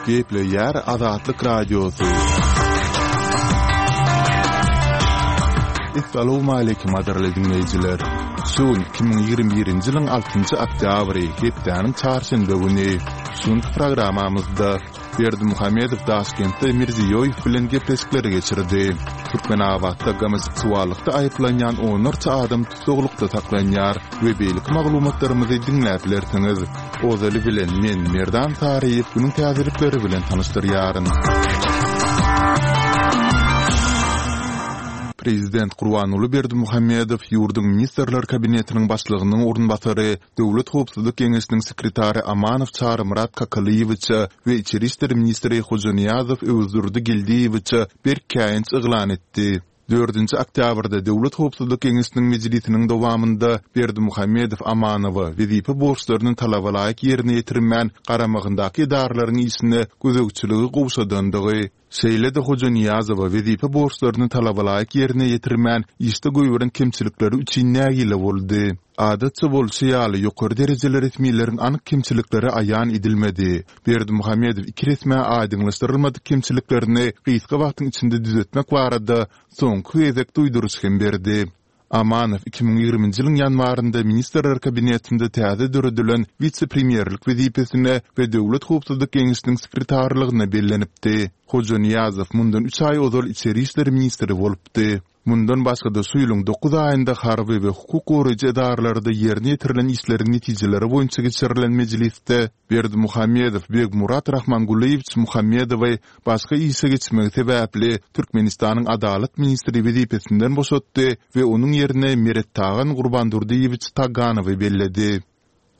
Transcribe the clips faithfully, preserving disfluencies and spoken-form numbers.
Gepleýär Azatlyk Radiosy. Essalawmaleýkim gadyrly diňleýjiler! Şu gün iki müň ýigrimi birinji ýylyň altynjy oktýabry, hepdäniň çarşenbe güni. Şu günki programmamyzda Berdimuhamedow Daşkentde Mirziýoýew bilen gepleşikleri geçirdi. Türkmenabatda gomoseksuallykda aýyplanýan onlarça adam tussaglykda saklanýar we beýleki maglumatlarymyzy diňläp bilersiňiz. Ozaly bilen men, Merdan Saryýew günüň täzelikleri bilen tanyşdyrýaryn. Prezident Gurbanguly Berdimuhamedow ýurduň Ministrler Kabinetiniň Başlygynyň orunbasary, Döwlet howpsuzlyk geňeşiniň sekretary Amanow Çarymyrat Kakalyýewiçe we içeri işler ministri Hojanyýazow Öwezdurdy Geldiýewiçe berk käýinç yglan etdi. Dördünji oktýabrda Döwlet howpsuzlyk geňeşiniň mejlisiniň dowamynda Berdimuhamedow Amanowa wezipe borçlaryny talabalaýyk ýerine ýetirmän, garamagyndaky edaralaryň işine gözegçiligi gowşadandygy, şeýle-de Hojanyýazowa wezipe borçlaryny talabalaýyk ýerine ýetirmän, işde goýberen kemçilikleri üçin nägile boldy. Adatça bolşy ýaly, ýokary derejeli resmileriň anyk kemçilikleri aýan edilmedi. Berdimuhamedow iki resmä aýdyňlaşdyrylmadyk kemçiliklerini gysga wagtyň içinde düzetmek barada soňky gezek duýduryş hem berdi. Amanow iki müň ýigriminji ýylyň ýanwarynda Ministrler Kabinetinde täze döredilen wise-premýerlik wezipesine we Döwlet howpsuzlyk geňeşiniň sekretarlygyna bellenipdi. Hojanyýazow mundan üç aý ozal içeri işler ministri bolupdy. Mundan başga-da şu ýylyň dokuz aýynda harby we hukuk goraýjy edaralarda ýerine ýetirilen işleriň netijeleri boýunça geçirilen mejlisde Berdimuhamedow Begmurat Rahmangulyýewiç Muhammedowy başga işe geçmegi sebäpli Türkmenistanyň Adalat ministri wezipesinden boşatdy we onuň ýerine Merettagan Gurbandurdyýewiç Taganowy belledi.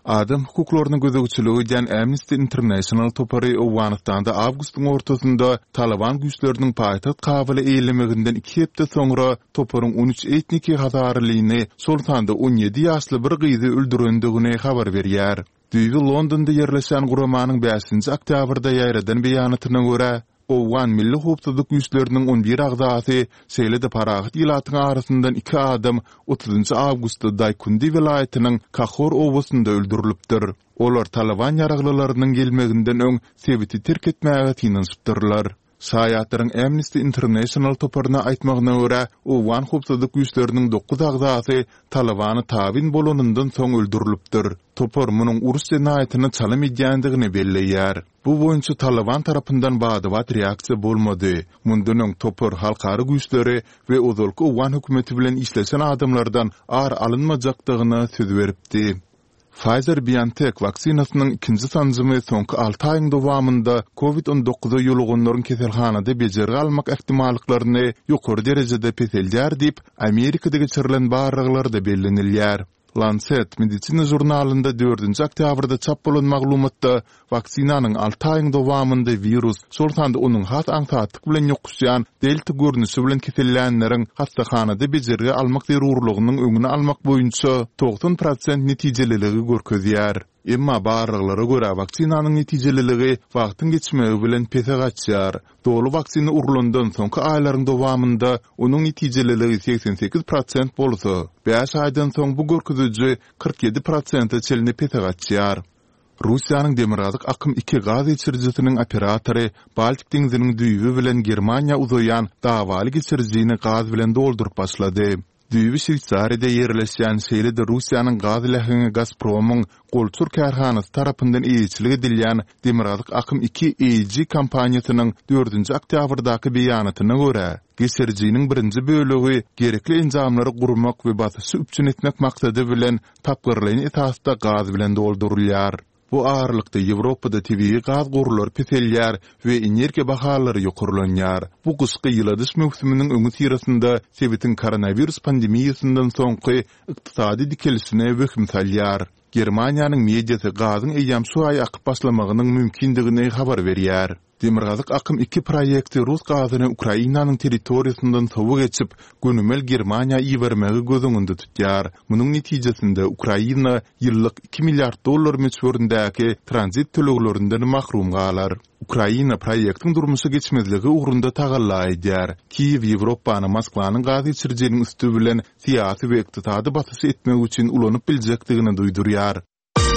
Adam hukuklaryna gözegçilik edýän Amnesty International topary Owganystanda awgustyň ortasynda Talyban güýçleriniň paýtagt Kabuly eýelemeginden iki hepde soňra toparyň on üç etniki hazarylyny, şol sanda on ýedi ýaşly bir gyzy öldürendigini habar berýär. Düýbi Londonda ýerleşýän guramanyň bäşinji oktýabrda ýaýradan beýanatyna görä, Owgan milli howpsuzlyk güýçleriniň on bir agzasy, şeýle-de parahat ilatyň arasyndan iki adam otuzynjy awgustda Daýkundi welaýatynyň Kahor obasynda öldürilipdir. Olar Talyban ýaraglylarynyň gelmeginden öň sebiti terk etmäge synanyşypdyrlar. Şaýatlaryň Amnesty International toparyna aýtmagyna görä, owgan howpsuzlyk güýçleriniň dokuz agzasy Talybana tabyn bolanyndan soň öldürilipdir. Topar munuň uruş jenaýatyna çalym edýändigini belleýär. Bu boýunça Talyban tarapyndan bada-bat reaksiýa bolmady. Mundan öň topar halkara güýçleri we ozalky owgan hökümeti bilen işleşen adamlardan ar alynmajakdygyna söz beripdi. Pfizer-BioNTech waksinasynyň ikinji sanjymy soňky alty aýyň dowamynda Covid on dokuza ýoluganlaryň keselhanada bejergi almak ähtimallyklaryny ýokary derejede peseldýär diýip, Amerikada geçirilen barlaglarda bellenilýär. Lancet medisina žurnalynda dördünji oktýabrda çap bolan maglumatda waksinanyň alty aýyň dowamynda wirus, şol sanda onuň has aňsatlyk bilen ýokuşýan delta görnüşi bilen kesellänleriň hassahanada bejergi almak zerurlygynyň öňüni almak boýunça togsan prosent netijeliligi görkezýär. Emma barlaglara görä, waksinanyň netijeliligi wagtyň geçmegi bilen pese gaçýar. Doly waksina urlandan soňky aýlaryň dowamynda onuň netijeliligi segsen sekiz prosent bolsa, bäş aýdan soň bu görkeziji kyrk ýedi prosente çenli pese gaçýar. Russiýanyň Demirgazyk akym iki gaz geçirijisiniň operatory Baltik deňziniň düýbi bilen Germaniýa uzaýan dawaly geçirijini gaz bilen dolduryp başlady. Düýbi Şweýsariýada ýerleşýän, şeýle-de Russiýanyň gaz läheňi Gazpromyň golçur kärhanasy tarapyndan eýeçilik edilýän Demirgazyk akym iki A G kompaniýasynyň dördünji oktýabrdaky beýanatyna görä, geçirijiniň birinji bölegi gerekli enjamlary gurmak we basyşy üpjün etmek maksady bilen tapgyrlaýyn esasda gaz bilen doldurylýar. Bu aralykda, Ýewropada tebigy gaz gorlary peselýär we energiýa bahalary ýokarlanýar. Bu gyşky ýyladyş möwsüminiň öňüsyrasynda sebitiň koronawirus pandemiýasyndan soňky ykdysady dikelişine wehim salýar. Germaniýanyň mediasy gazyň eýýäm şu aý akyp başlamagynyň mümkindigini habar berýär. Demirgazyk akym iki proýekti rus gazyny Ukrainanyň territoriýasyndan sowa geçip, gönümel Germaniýa ibermegi göz öňünde tutýar. Munuň netijesinde Ukraina ýyllyk iki milliard dollar möçberindäki tranzit töleglerinden mahrum galar. Ukraina proýektiň durmuşa geçmezligi ugrunda tagalla edýär. Kiýew Ýewropany Moskwanyň gaz geçirijiniň üsti bilen syýasy we ykdysady basyş etmek üçin ulanyp biljekdigini duýdurýar.